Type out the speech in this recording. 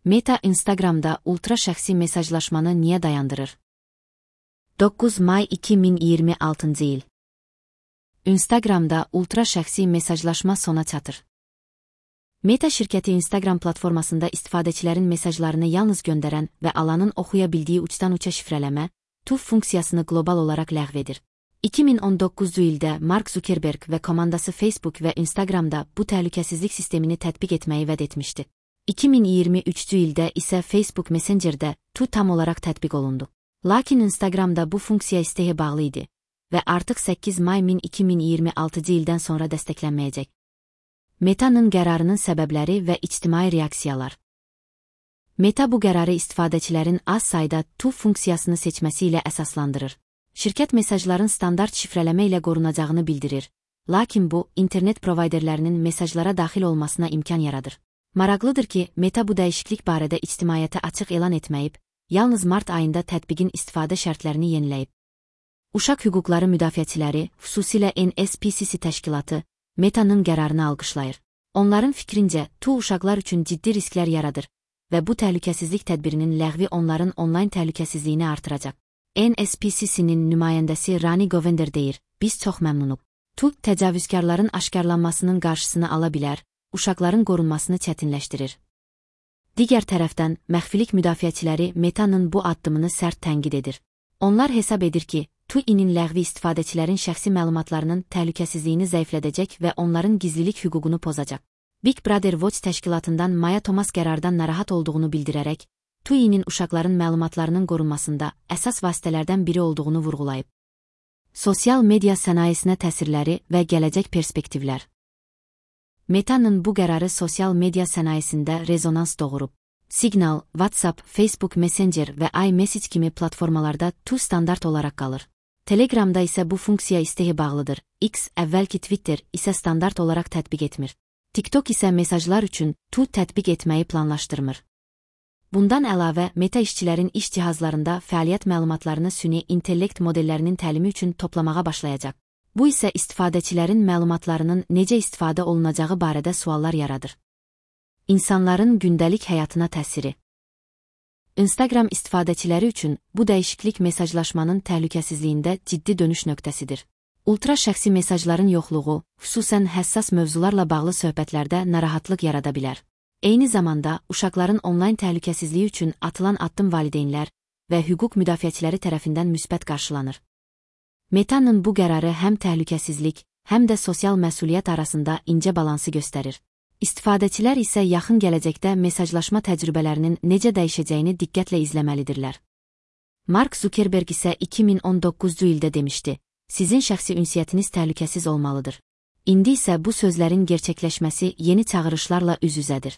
Meta Instagramda ultra şəxsi mesajlaşmanı niyə dayandırır? 9 may 2026 il. Instagramda ultra şəxsi mesajlaşma sona çatır. Meta şirkəti Instagram platformasında istifadəçilərin mesajlarını yalnız göndərən və alanın oxuya bildiyi uçdan-uça şifrələmə, TUF funksiyasını qlobal olaraq ləğv edir. 2019 ildə Mark Zuckerberg və komandası Facebook və Instagramda bu təhlükəsizlik sistemini tətbiq etməyi vəd etmişdi. 2023 ildə isə Facebook Messengerdə TUF tam olaraq tətbiq olundu. Lakin Instagramda bu funksiya isteğə bağlı idi və artıq 8 may 2026 ildən sonra dəstəklənməyəcək. Meta'nın qərarının səbəbləri və ictimai reaksiyalar. Meta bu qərarı istifadəçilərin az sayda TUF funksiyasını seçməsi ilə əsaslandırır. Şirkət mesajların standart şifrələmə ilə qorunacağını bildirir, lakin bu, internet provayderlərinin mesajlara daxil olmasına imkan yaradır. Maraqlıdır ki, Meta bu dəyişiklik barədə ictimaiyyətə açıq elan etməyib, yalnız mart ayında tətbiqin istifadə şərtlərini yeniləyib. Uşaq hüquqları müdafiəçiləri, xüsusilə NSPCC təşkilatı, Meta'nın qərarını alqışlayır. Onların fikrincə, TUF uşaqlar üçün ciddi risklər yaradır və bu təhlükəsizlik tədbirinin ləğvi onların onlayn təhlükəsizliyini artıracaq. NSPCC-nin nümayəndəsi Rani Govender deyir, biz çox məmnunuq. TUF təcavüzkarların aşkarlanmasının qarşısını ala bilər, uşaqların qorunmasını çətinləşdirir. Digər tərəfdən, məxfilik müdafiəçiləri Meta'nın bu addımını sərt tənqid edir. Onlar hesab edir ki, TUF-inin ləğvi istifadəçilərin şəxsi məlumatlarının təhlükəsizliyini zəiflədəcək və onların gizlilik hüququnu pozacaq. Big Brother Watch təşkilatından Maya Thomas qərardan narahat olduğunu bildirərək, TUF-inin uşaqların məlumatlarının qorunmasında əsas vasitələrdən biri olduğunu vurğulayıb. Sosial media sənayesinə təsirləri və gələcək perspektivlər. Meta'nın bu qərarı sosial media sənayesində rezonans doğurub. Signal, WhatsApp, Facebook Messenger və iMessage kimi platformalarda TUF standart olaraq qalır. Telegramda isə bu funksiya isteğə bağlıdır. X, əvvəlki Twitter isə standart olaraq tətbiq etmir. TikTok isə mesajlar üçün TUF tətbiq etməyi planlaşdırmır. Bundan əlavə, Meta işçilərin iş cihazlarında fəaliyyət məlumatlarını süni intellekt modellərinin təlimi üçün toplamağa başlayacaq. Bu isə istifadəçilərin məlumatlarının necə istifadə olunacağı barədə suallar yaradır. İnsanların gündəlik həyatına təsiri. Instagram istifadəçiləri üçün bu dəyişiklik mesajlaşmanın təhlükəsizliyində ciddi dönüş nöqtəsidir. Ultra şəxsi mesajların yoxluğu, xüsusən həssas mövzularla bağlı söhbətlərdə narahatlıq yarada bilər. Eyni zamanda, uşaqların onlayn təhlükəsizliyi üçün atılan addım valideynlər və hüquq müdafiəçiləri tərəfindən müsbət qarşılanır. Meta'nın bu qərarı həm təhlükəsizlik, həm də sosial məsuliyyət arasında incə balansı göstərir. İstifadəçilər isə yaxın gələcəkdə mesajlaşma təcrübələrinin necə dəyişəcəyini diqqətlə izləməlidirlər. Mark Zuckerberg isə 2019 ildə demişdi, sizin şəxsi ünsiyyətiniz təhlükəsiz olmalıdır. İndi isə bu sözlərin gerçəkləşməsi yeni çağırışlarla üz-üzədir.